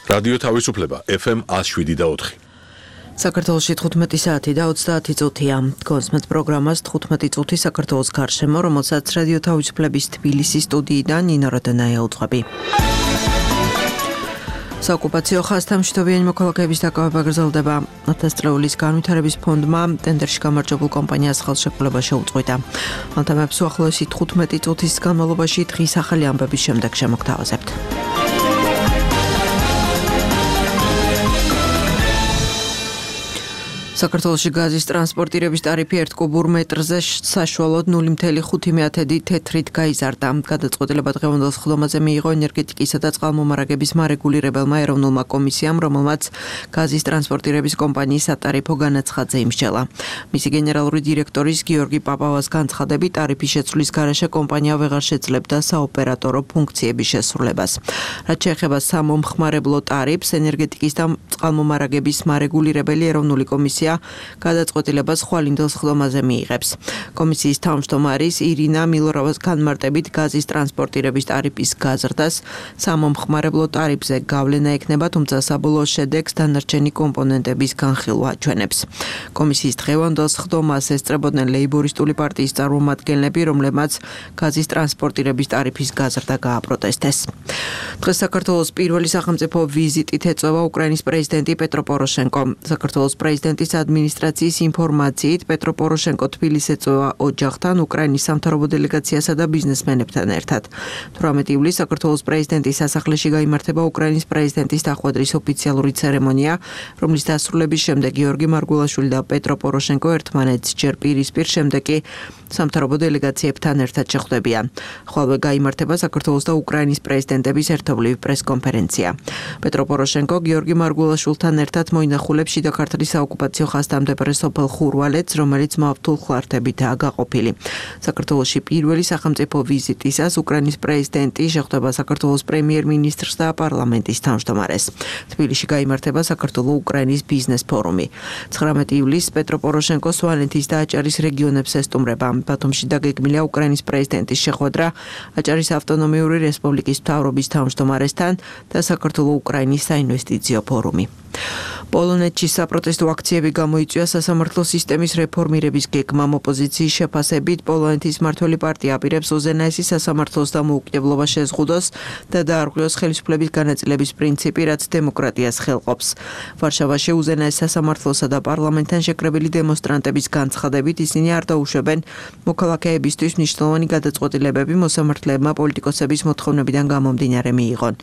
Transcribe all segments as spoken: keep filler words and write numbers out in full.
რადიო თავისუფლება ეფ ემ one oh seven და four. საქართველოში თხუთმეტი საათი და ოცდაათი წუთია. Გონსმეთ პროგრამას თხუთმეტი წუთი საქართველოს გარშემო, რომელსაც რადიო თავისუფლების თბილისის სტუდიიდან ნინო როდენაია უძღვები. საოკუპაციო ხაზთა მშვიდობიანი მოქალაქეების დაკავება გრძელდება. ათასწლეულის განვითარების ფონდმა ტენდერში გამარჯვებულ კომპანიას ხელშეკრულება შეუწყვეტა. ამ თემებს უახლოესი თხუთმეტი წუთის განმავლობაში დღის ახალი ამბების შემდეგ შემოგთავაზებთ. საქართველოში გაზის ტრანსპორტირების ტარიფი ერთ კუბურ მეტრზე საშუალოდ ნული ათეული ხუთი თეთრით გაიზარდა. გადაწყვეტილება დღევანდელ სხდომაზე მიიღო ენერგეტიკისა და წყალმომარაგების მარეგულირებელმა ეროვნულმა კომისიამ, რომელმაც გაზის ტრანსპორტირების კომპანიის სატარიფო განაცხადზე იმსჯელა. მისი გენერალური დირექტორის გიორგი პაპავას განცხადებით, ტარიფის შეცვლის გარეშე კომპანია ვეღარ შეძლებდა საოპერატორო ფუნქციების შესრულებას. რაც შეეხება სამომხმარებლო ტარიფს, ენერგეტიკის და წყალმომარაგების მარეგულირებელი ეროვნული კომისია გადაწყვეტილებას ხვალინდელ სხდომაზე მიიღებს. კომისიის თავმჯდომარის ირინა მილოროვას განმარტებით, გაზის ტრანსპორტირების ტარიფის გაზრდას სამომხმარებლო ტარიფზე გავლენა ექნება, თუმცა საბოლოო შედეგს დანარჩენი კომპონენტების განხილვა აჩვენებს. კომისიის დღევანდელ სხდომას ესწრებოდნენ ლეიბორისტული პარტიის წარმომადგენლები, რომლებმაც გაზის ტრანსპორტირების ტარიფის გაზრდა გააპროტესტეს. დღეს საქართველოს პირველი სახელმწიფო ვიზიტით ეწევა უკრაინის პრეზიდენტი პეტრო პოროშენკო. საქართველოს პრეზიდენტის ადმინისტრაციის ინფორმაციით, პეტრო პოროშენკო თბილისს ეწევა ოჯახთან, უკრაინის სამთავრობო დელეგაციასა და ბიზნესმენებთან ერთად. თვრამეტი ივლისს საქართველოს პრეზიდენტის სასახლეში გაიმართება უკრაინის პრეზიდენტის დახვედრის ოფიციალური ცერემონია, რომლის დასრულების შემდეგ გიორგი მარგულაშვილი და პეტრო პოროშენკო ერთმანეთს ჯერ პირისპირ, შემდეგ კი სამთავრობო დელეგაციებთან ერთად შეხვდებიან. ხოლო გაიმართება საქართველოს და უკრაინის პრეზიდენტების ერთობლივი პრესკონფერენცია. პეტრო პოროშენკო გიორგი მარგულაშვილთან ერთად მოინახულებს შიდა ქართლის საოკუპაციო ხაზთან მდებარე სოფელ ხურვალეთს, რომელიც მავთულ ხლართებითაა გაყოფილი. საქართველოში პირველი სახელმწიფო ვიზიტისას უკრაინის პრეზიდენტი შეხვდება საქართველოს პრემიერ-მინისტრს და პარლამენტის თავმჯდომარეს. თბილისში გაიმართება საქართველო-უკრაინის ბიზნეს ფორუმი. ცხრამეტი ივლისს პეტრო პოროშენკო სვანეთის და აჭარის რეგიონებს ესტუმრება. ბათუმში დაგეგმილია უკრაინის პრეზიდენტის შეხვედრა აჭარის ავტონომიური რესპუბლიკის მთავრობის თავმჯდომარესთან და საქართველო-უკრაინის საინვესტიციო ფორუმი. პოლონეთში საპროტესტო აქციები გამოიწვია სასამართლო სისტემის რეფორმირების გეგმამ. ოპოზიციის შეფასებით, პოლონეთის მმართველი პარტია აპირებს უზენაესი სასამართლოს დამოუკიდებლობა შეზღუდოს და დაარღვიოს ხელისუფლების განაწილების პრინციპი, რაც დემოკრატიას ხელყოფს. ვარშავაში უზენაეს სასამართლოსა და პარლამენტთან შეკრებილი დემონსტრანტების განცხადებით, ისინი არ დაუშვებენ მოქალაქეებისთვის მნიშვნელოვანი გადაწყვეტილებები მოსამართლეებმა პოლიტიკოსების მოთხოვნებიდან გამომდინარე მიიღონ.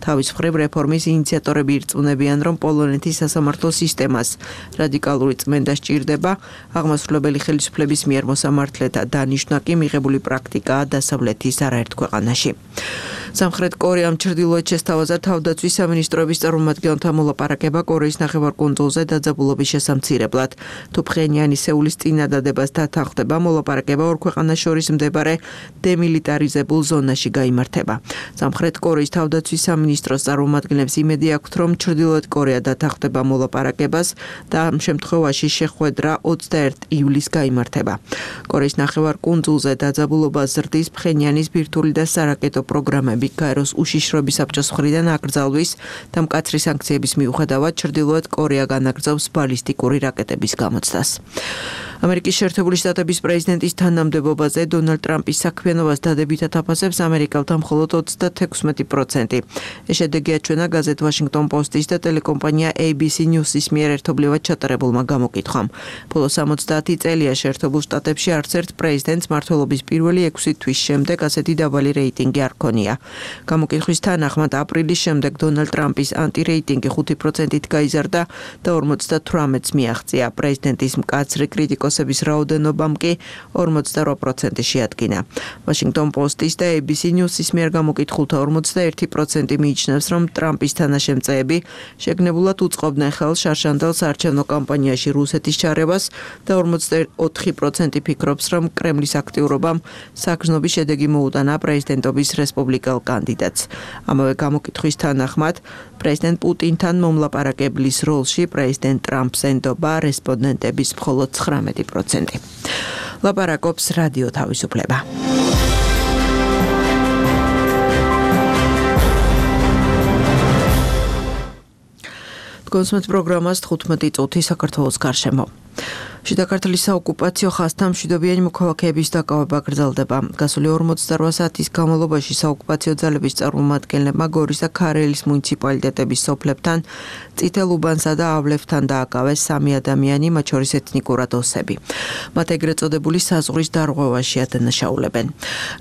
თავის მხრივ რეფორმის ინიციატორები ირწმუნებიან, რომ პოლონეთის სასამართლო სისტემას რადიკალური წმენდა სჭირდება, აღმასრულებელი ხელისუფლების მიერ მოსამართლეთა დანიშვნა კი მიღებული პრაქტიკაა დასავლეთის არაერთ ქვეყანაში. სამხრეთ კორეამ ჩრდილოეთს შესთავაზა თავდაცვის სამინისტროების წარმომადგენელთა მოლაპარაკება კორეის ნახევარკუნძულზე დაძაბულობის შესამცირებლად. თუ ფხენიანი სეულის წინადადებას დათანხმდება, მოლაპარაკება ორ ქვეყანას შორის მდებარე დემილიტარიზებულ ზონაში გაიმართება. სამხრეთ კორეის თავდაცვის სამინისტროს წარმომადგენლებს იმედი აქვთ, რომ ჩრდილოეთ კორეა დათანხმდება მოლაპარაკებას და ამ შემთხვევაში შეხვედრა ოცდაერთი ივლისს გაიმართება. კორეის ნახევარკუნძულზე დაძაბულობას ზრდის ფხენიანის ბირთვული და სარაკეტო პროგრამები გაეროს უშიშროების საბჭოს მხრიდან აკრძალვის და მკაცრი სანქციების მიუხედავად ჩრდილოეთ კორეა განაგრძობს ბალისტიკური რაკეტების გამოცდას. ამერიკის შეერთებული შტატების პრეზიდენტის თანამდებობაზე დონალდ ტრამპის საქმიანობას დადებითად აფასებს ამერიკელთა მხოლოდ ოცდაექვსმეტი პროცენტი. ეს შედეგი აჩვენა გაზეთ Washington Post-ის და ტელეკომპანია A B C News-ის მიერ ერთობლივად ჩატარებულმა გამოკითხვამ. ბოლო სამოცდაათი წელია შეერთებულ შტატებში არც ერთ პრეზიდენტს მმართველობის პირველი ექვსი თვის შემდეგ ასეთი დაბალი რეიტინგი არ ჰქონია. გამოკითხვის თანახმად აპრილის შემდეგ დონალდ ტრამპის ანტირეიტინგი ხუთი პროცენტით გაიზარდა და ორმოცდათვრამეტს მიაღწია. პრეზიდენტის მკაცრი კრიტიკოსების რაოდენობამ კი ორმოცდარვა პროცენტი შეადგინა. Washington Post-ის და A B C News-ის მიერ გამოკითხულთა ორმოცდაერთი პროცენტი მიიჩნევს, რომ ტრამპის თანაშემწეები შეგნებულად უწყობდნენ ხელს შარშანდელ საარჩევნო კამპანიაში რუსეთის ჩარევას და ორმოცდაოთხი პროცენტი ფიქრობს, რომ კრემლის აქტიურობამ საგრძნობი შედეგი მოუტანა პრეზიდენტობის რესპუბლიკელ კანდიდატს. ამავე გამოკითხვის თანახმად, პრეზიდენტ პუტინთან მომლაპარაკებლის როლში პრეზიდენტ ტრამპს ენდობა რესპონდენტების მხოლოდ ცხრამეტი პროცენტი. ლაპარაკობს რადიო თავისუფლება. Თქვენს პროგრამას თხუთმეტი წუთი საქართველოს გარშემო. შიდა ქართლის საოკუპაციო ხაზთან მშვიდობიანი მოქალაქეების დაკავება გრძელდება. გასული ორმოცდაოთხ საათის განმავლობაში საოკუპაციო ძალების წარმომადგენლებმა გორის და ქარელის მუნიციპალიტეტების სოფლებთან, წითელ უბანსა და ავლევთან დააკავეს სამი ადამიანი, მათ შორის ეთნიკურად ოსები. მათ ეგრეთ წოდებული საზღვრის დარღვევაში ადანაშაულებენ.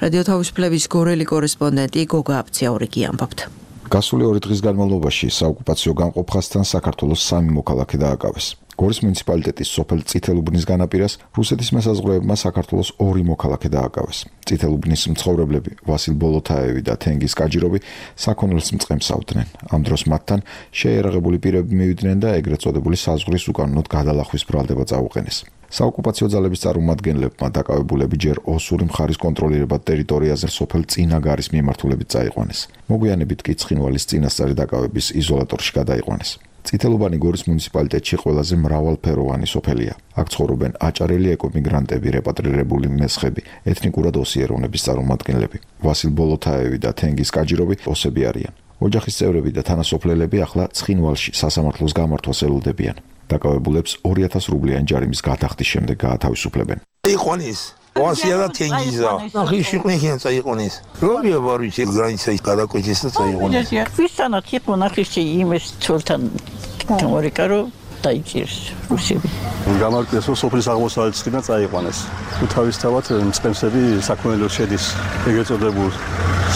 რადიო თავისუფლების გორელი კორესპონდენტი გოგა აბციაურიგი ამბობთ. გასული ორი დღის განმავლობაში საოკუპაციო გამყოფ ხაზთან საქართველოს სამი მოქალაქე დააკავეს. გორის მუნიციპალიტეტის სოფელ წითელუბნის განაპირას რუსეთის მესაზღვრეებმა საქართველოს ორი მოქალაქე დააკავეს. წითელუბნის მცხოვრებლები ვასილ ბოლოთაევი და თენგიზ კაჯიროვი საქონელს მწყემსავდნენ. ამ დროს მათთან შეიარაღებული პირები მივიდნენ და ეგრეთ წოდებული საზღვრის უკანონოდ გადალახვის ბრალდება წაუყენეს. საოკუპაციო ძალების წარმომადგენლებმა დაკავებულები ჯერ ოსური მხარის კონტროლირებად ტერიტორიაზე სოფელ წინაგარის მიმართულებით წაიყვანეს. მოგვიანებით კი ცხინვალის წინასწარი დაკავების იზოლატორში გადაიყვანეს. წითელუბანი გორის მუნიციპალიტეტში ყველაზე მრავალფეროვანი სოფელია. აქ ცხოვრობენ აჭარელი ეკომიგრანტები, რეპატრირებული მესხები, ეთნიკურად ოსი ეროვნების წარმომადგენლები. ვასილ ბოლოთაევი და თენგიზ კაჯიროვი ოსები არიან. ოჯახის წევრები და თანასოფლელები ახლა ცხინვალში სასამართლოს გამართვას ელოდებიან. დაკავებულებს ორი ათას რუბლიანი ჯარიმის გადახდის შემდეგ გაათავისუფლებენ. იყვანის ვასია და თენგიზა. ახლა შეყვნენ წაიყვანეს. რომია ვარიჩი გრანიცა გადაკვეთეს და წაიყვანეს. ვისთანაც იყო ნახიში იმის ცოლთან თემორიკარო დაიჭირს რუსები. გამარკვიეს რომ სოფლის აღმოსავლეთ წინა წაიყვანეს. თუ თავისთავად მწყემსები საქონელო შედის ეგრეთ წოდებულ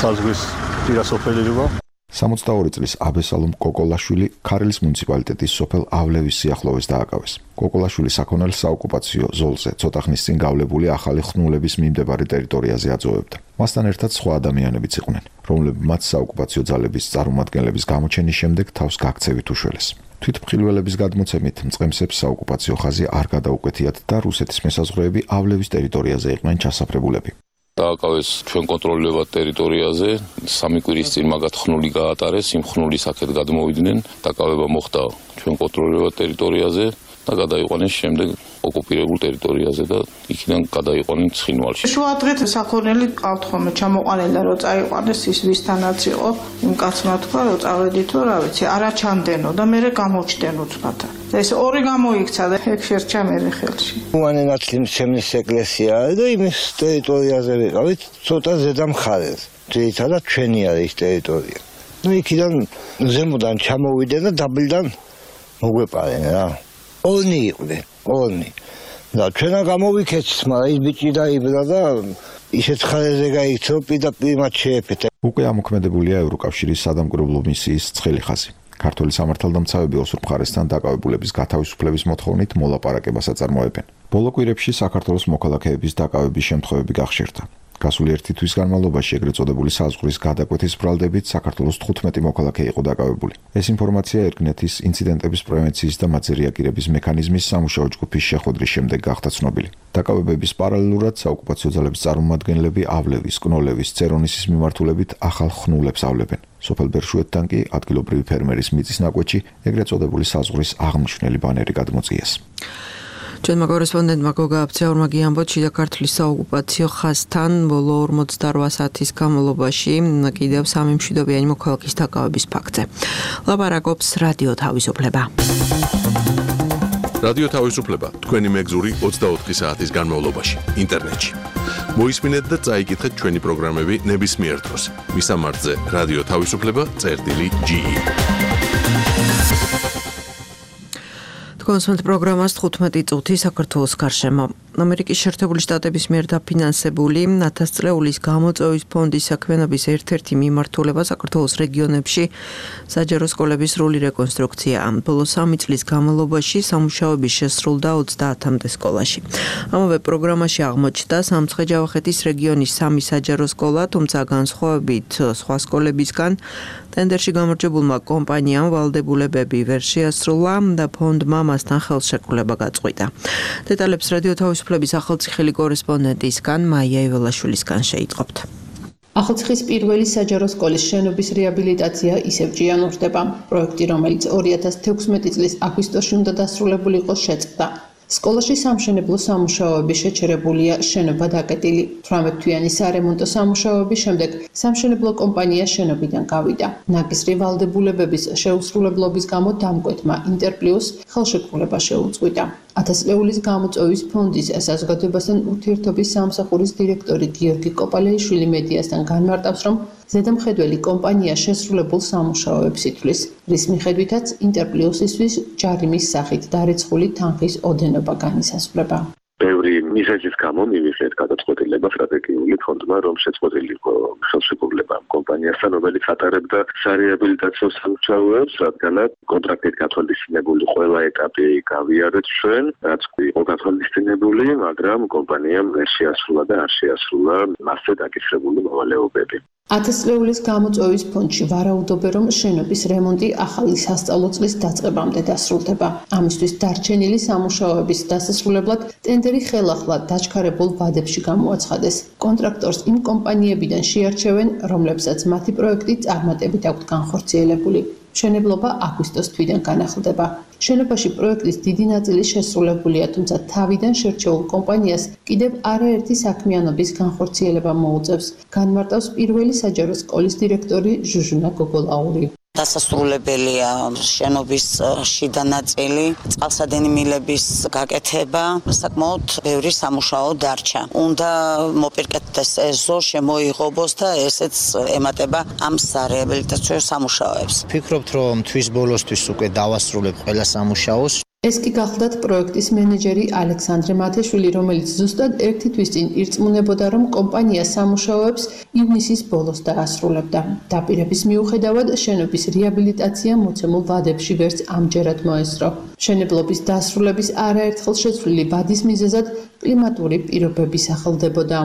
საზღვრის პირასოფელობა. სამოცდაორი წლის აბესალომ კოკოლაშვილი ქარელის მუნიციპალიტეტის სოფელ ავლევის სიახლოვეს დააკავეს. კოკოლაშვილი საქონელს საოკუპაციო ზოლზე ცოტა ხნის წინ გავლებული ახალი ხნულების მიმდებარე ტერიტორიაზე აწოვებდა. მასთან ერთად სხვა ადამიანებიც იყვნენ, რომლებიც მათ საოკუპაციო ძალების წარმომადგენლების გამოჩენის შემდეგ თავს გაქცევით უშველეს. თვითმხილველების გადმოცემით მწყემსებს საოკუპაციო ხაზი არ გადაუკვეთიათ და რუსეთის მესაზღვრეები ავლევის ტერიტორიაზე იყვნენ ჩასაფრებულები. დააკავეს ჩვენ კონტროლირებად ტერიტორიაზე, სამი კვირის წინ მაგათ ხნული გაატარეს, იმ ხნულის აქეთ გადმოვიდნენ, დაკავება მოხდა ჩვენ კონტროლირებად ტერიტორიაზე და გადაიყვანეს შემდეგ ოკუპირებულ ტერიტორიაზე და იქიდან გადაიყვანეს ცხინვალში. შუადღეთ საქონელი ყავთ ხოლმე ჩამოყვანილი რომ წაიყვანეს ის ვისთანაც იყო, იმ კაცმა თქვა რომ წავედითო რა ვიცი, არა ჩამდენო და მე გამოჩდენ უცბად. ეს ორი გამოიქცა და ეგ შერჩა მე ხელში. უანენაცლი შემნის ეკლესიაა და იმის ტერიტორიაზე ვიყავით ცოტა ზედა მხარეს. ძირითადად ჩვენი არის ის ტერიტორია. ნუ იქიდან ზემოდან ჩამოვიდნენ და დაბლიდან მოგვეპარენ რა. ორნი იყვნენ, ორნი. და ჩვენა გამოვიქეცს, მაგრამ ის ბიჭი დაიბრა და ისეთ ხარეზე გაიქცა, პირდაპირ მათ შეეფეთა. უკვე ამოქმედებულია ევროკავშირის სადამკვირვებლო მისიის ცხელი ხაზი. ქართული სამართალდამცავები ოსურ მხარესთან დაკავებულების გათავისუფლების მოთხოვნით მოლაპარაკებას აწარმოებენ. ბოლო კვირებში საქართველოს მოქალაქეების დაკავების შემთხვევები გახშირდა. გასული ერთი თვის განმავლობაში ეგრეთ წოდებული საზღვრის გადაკვეთის ბრალდებით საქართველოს თხუთმეტი მოქალაქე იყო დაკავებული. ეს ინფორმაცია ერგნეთის ინციდენტების პრევენციის და მათზე რეაგირების მექანიზმის სამუშაო ჯგუფის შეხვედრის შემდეგ გახდა ცნობილი. დაკავებების პარალელურად საოკუპაციო ძალების წარმომადგენლები ავლევის, კნოლევის, წერონისის მიმართულებით ახალ ხნულებს ავლებენ. სოფელ ბერშუეთთან კი ადგილობრივი ფერმერის მიწის ნაკვეთში ეგრეთ წოდებული საზღვრის აღმნიშვნელი ბანერი გადმოწიეს. ჩვენმა კორესპონდენტმა გოგა აბციაურმა გიამბოთ შიდა ქართლის საოკუპაციო ხაზთან ბოლო ორმოცდაოთხ საათის განმავლობაში კიდევ სამი მშვიდობიანი მოქალაქის დაკავების ფაქტზე. ლაპარაკობს რადიო თავისუფლება. რადიო თავისუფლება თქვენი მეგზური ოცდაოთხი საათის განმავლობაში ინტერნეტში. მოისმინეთ და წაიკითხეთ ჩვენი პროგრამები ნებისმიერ დროს. მისამართზე რადიო თავისუფლება წერტილი ჯი ი. კონსულტ პროგრამას თხუთმეტი წუთი საქართველოს გარშემო. ამერიკის შეერთებული შტატების მიერ დაფინანსებული ათასწლეულის გამოწვევის ფონდის საქმიანობის ერთ-ერთი მიმართულება საქართველოს რეგიონებში საჯარო სკოლების სრული რეკონსტრუქცია. ბოლო სამი წლის განმავლობაში სამუშაოები შესრულდა ოცდაათამდე სკოლაში. ამავე პროგრამაში აღმოჩნდა სამცხე-ჯავახეთის რეგიონის სამი საჯარო სკოლა, თუმცა განსხვავებით სხვა სკოლებისგან ტენდერში გამარჯვებულმა კომპანიამ ვალდებულებები ვერ შეასრულა და ფონდმა მასთან ხელშეკრულება გაწყვიტა. დეტალებს რადიო თავისუფლების ახალციხელი კორესპონდენტისგან მაია იველაშვილისგან შეიტყობთ. ახალციხის პირველი საჯარო სკოლის შენობის რეაბილიტაცია ისევ ჭიანურდება. პროექტი, რომელიც ორი ათას თექვსმეტი წლის აგვისტოში უნდა დასრულებულიყო, შეწყდა. სკოლაში სამშენებლო სამუშაოები შეჩერებულია, შენობა დაკეტილი. თვრამეტ თვიანი სარემონტო სამუშაოების შემდეგ სამშენებლო კომპანია შენობიდან გავიდა. ნაკისრი ვალდებულებების შეუსრულებლობის გამო დამკვეთმა ინტერპლიუს ხელშეკრულება შეუწყვიტა. ათას ლეულის გამოწვევის ფონდის საზოგადოებასთან ურთიერთობის სამსახურის დირექტორი გიორგი კოპალეიშვილი მედიასთან განმარტავს, რომ ზედამხედველი კომპანია შესრულებულ სამუშაოებს ითვლის, რის მიხედვითაც ინტერპლიუსისთვის ჯარიმის სახით დარეცხული თანხის ოდენობა განისაზღვრება. ბევრი მიზეზის გამო მივიღეთ გადაწყვეტილება სტრატეგიული ფონდმა, რომ შეწყვეტილიყო ხელშეკრულება კომპანიასთან, რომელიც ატარებდა სარეაბილიტაციო სამუშაოებს, რადგანაც კონტრაქტით გათვალისწინებული ყველა ეტაპი გავიარეთ ჩვენ, რაც იყო გათვალისწინებული, მაგრამ კომპანიამ ვერ შეასრულა და არ შეასრულა მასზე დაკისრებული მოვალეობები. ათას ლეულის გამოწვევის ფონდში ვარაუდობენ, რომ შენობის რემონტი ახალი სასწავლო წლის დაწყებამდე დასრულდება. ამისთვის დარჩენილი სამუშაოების დასასრულებლად ტენდერი ხელახლა დაჩქარებულ ვადებში გამოაცხადეს. კონტრაქტორს იმ კომპანიებიდან შეარჩევენ, რომლებსაც მათი პროექტი წარმატებით აქვთ განხორციელებული. მშენებლობა აგვისტოს თვიდან განახლდება. შენობაში პროექტის დიდი ნაწილი შესრულებულია, თუმცა თავიდან შერჩეულ კომპანიას კიდევ არაერთი საქმიანობის განხორციელება მოუწევს. განმარტავს პირველი საჯარო სკოლის დირექტორი ჟუჟუნა გოგოლაური. დასასრულებელია შენობის შიდა ნაწილი, წყალსადენი მილების გაკეთება, საკმაოდ ბევრი სამუშაო დარჩა. უნდა მოპირკეთდეს ეზო, შემოიღობოს და ესეც ემატება ამ სარეაბილიტაციო სამუშაოებს. ვფიქრობთ, რომ თვის ბოლოსთვის უკვე დავასრულებ ყველა სამუშაოს. ეს კი გახლდათ პროექტის მენეჯერი ალექსანდრე მათეშვილი, რომელიც ზუსტად ერთი თვის წინ ირწმუნებოდა, რომ კომპანია სამუშაოებს ივნისის ბოლოს დაასრულებდა. დაპირების მიუხედავად, შენობის რეაბილიტაცია მოცემულ ვადებში ვერც ამჯერად მოესწრო. მშენებლობის დასრულების არაერთხელ შეცვლილი ვადის მიზეზად კლიმატური პირობები სახელდებოდა.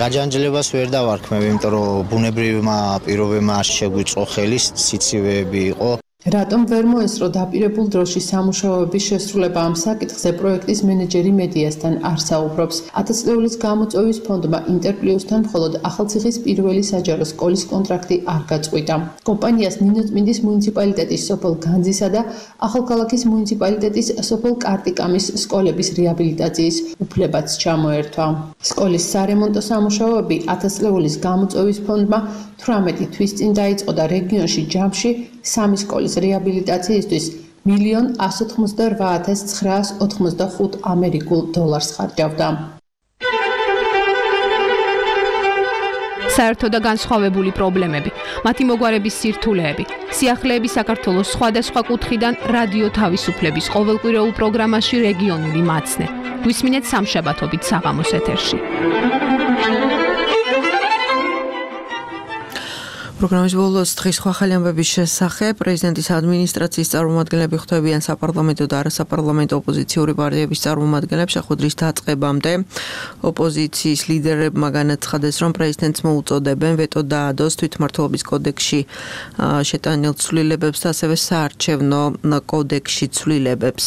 გაჯანჯლებას ვერ დავარქმევ, იმიტომ რომ ბუნებრივმა პირობებმა არ შეგვიწყო ხელი, სიცივეები იყო. რატომ ვერ მოესწრო დაპირებულ დროში სამუშაოების შესრულება ამ საკითხზე პროექტის მენეჯერი მედიასთან არ საუბრობს. ათას ლეულის გამოწვევის ფონდმა ინტერპლიუსთან მხოლოდ ახალციხის პირველი საჯარო სკოლის კონტრაქტი არ გაწყვიტა. კომპანიას ნინოწმინდის მუნიციპალიტეტის სოფელ განძისა და ახალქალაქის მუნიციპალიტეტის სოფელ კარტიკამის სკოლების რეაბილიტაციის უფლებაც ჩამოერთვა. სკოლის სარემონტო სამუშაოები ათას ლეულის გამოწვევის ფონდმა თვრამეტი თვის წინ დაიწყო და რეგიონში ჯამში სამი სკოლის რეაბილიტაციისთვის მილიონ ასი ოცდაოთხ ათას ცხრაას ოთხმოცდახუთ ამერიკულ დოლარს ხარჯავდა. საერთო და განსხვავებული პრობლემები, მათი მოგვარების სირთულეები, სიახლეები საქართველოს სხვადასხვა კუთხიდან რადიო თავისუფლების ყოველკვირეულ პროგრამაში რეგიონული მაცნე. გვისმინეთ სამშაბათობით საღამოს ეთერში. პროგრამის ბოლოს დღის სხვა ხელი ამბების შესახებ პრეზიდენტის ადმინისტრაციის წარმომადგენლები ხვდებიან საპარლამენტო და არასაპარლამენტო ოპოზიციური პარტიების წარმომადგენლებს შეხვედრის დაწყებამდე. ოპოზიციის ლიდერებმა განაცხადეს, რომ პრეზიდენტს მოუწოდებენ ვეტო დაადოს თვითმმართველობის კოდექსში შეტანილ ცვლილებებს და ასევე საარჩევნო კოდექსში ცვლილებებს.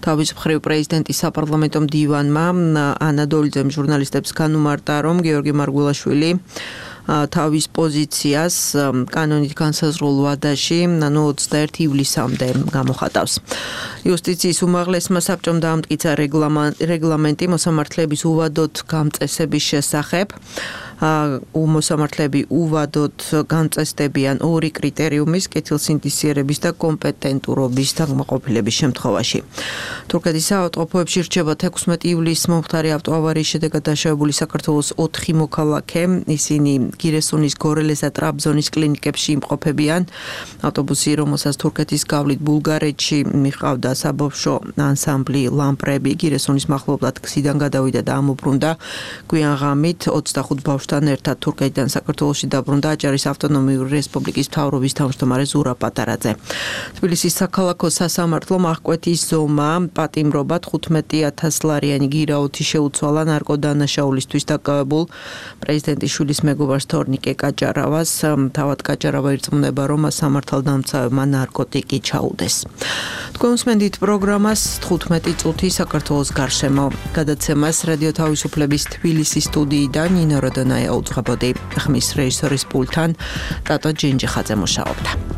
თავის მხრივ პრეზიდენტის საპარლამენტო მდივანმა ანა დოლიძემ ჟურნალისტებს განუმარტა, რომ გიორგი მარგულაშვილი თავის პოზიციას კანონით განსაზღვრულ ვადაში, ანუ ოცდაერთი ივლისამდე გამოხატავს. იუსტიციის უმაღლესმა საბჭომ დაამტკიცა რეგლამენტი მოსამართლეების უვადოდ გამწესების შესახებ. მოსამართლეები უვადოდ გამწესდებიან ორი კრიტერიუმის, კეთილსინდისიერების და კომპეტენტურობის დაკმაყოფილების შემთხვევაში. თურქეთის საავადმყოფოებში რჩება თექვსმეტი ივლისს მომხდარი ავტოავარიის შედეგად დაშავებული საქართველოს ოთხი მოქალაქე. ისინი გირესუნის, გორელეს და ტრაბზონის კლინიკებში იმყოფებიან. ავტობუსი, რომელსაც თურქეთის გავლით ბულგარეთში მიყავდა საბავშვო ანსამბლი ლამპრები, გირესუნის მახლობლად გზიდან გადავიდა და ამობრუნდა. გვიან ღამით ოცდახუთ ბავშვთან ერთად თურქეთიდან საქართველოში დაბრუნდა აჭარის ავტონომიური რესპუბლიკის მთავრობის თავმჯდომარე ზურაბ პატარაძე. თბილისის საქალაქო სასამართლომ აღკვეთის ზომა პატიმრობა თხუთმეტი ათას ლარიანი გირაოთი შეუცვალა ნარკოდანაშაულისთვის დაკავებულ პრეზიდენტის შვილის მეგობარს თორნიკე კაჭარავას. თავად კაჭარავა ირწმუნება, რომ სამართალდამცავებმა ნარკოტიკი ჩაუდეს. თქვენ უსმენთ პროგრამას თხუთმეტი წუთი საქართველოს გარშემო. გადაცემას რადიო თავისუფლების თბილისის სტუდიიდან ნინო როდონაია უძღვებოდი. ხმის რეჟისორის პულტთან ტატო ჯენჯიხაძე მუშაობდა.